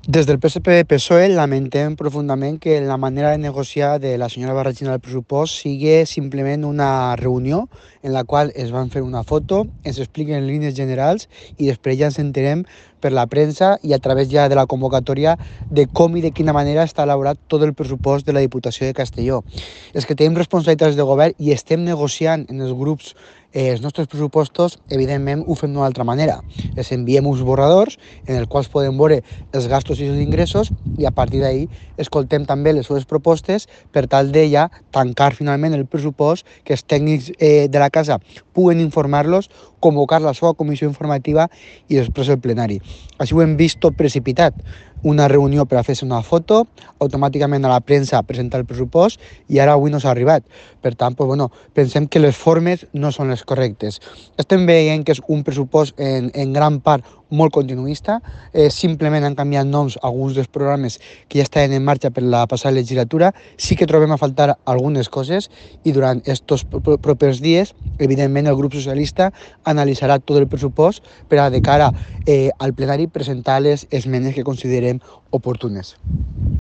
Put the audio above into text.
Des del PSPV-PSOE lamentem profundament que la manera de negociar de la senyora Barragina del pressupost sigui simplement una reunió en la qual es van fer una foto, ens expliquen en línies generals i després ja ens enterem per la premsa i a través ja de la convocatòria de com i de quina manera està elaborat tot el pressupost de la Diputació de Castelló. És que tenim responsabilitats de govern i estem negociant en els grups els nostres pressupostos, evidentment ho fem d'una altra manera. Els enviem uns borradors en els quals podem veure els gastos i els ingressos i a partir d'ahí escoltem també les seves propostes per tal de ja tancar finalment el pressupost, que els tècnics de la casa puguen informar-los, convocar la seva comissió informativa i després el plenari. Així ho hem vist tot precipitat. Una reunió per a fer-se una foto, automàticament a la premsa presentar el pressupost i ara avui no s'ha arribat. Per tant, pensem que les formes no són les correctes. Estem veient que és un pressupost en gran part molt continuista, simplement han canviat noms a alguns dels programes que ja estaven en marxa per la passada legislatura. Sí que trobem a faltar algunes coses i durant aquests propers dies, evidentment, el grup socialista analitzarà tot el pressupost per a de cara al plenari presentar les esmenes que considerem oportunes.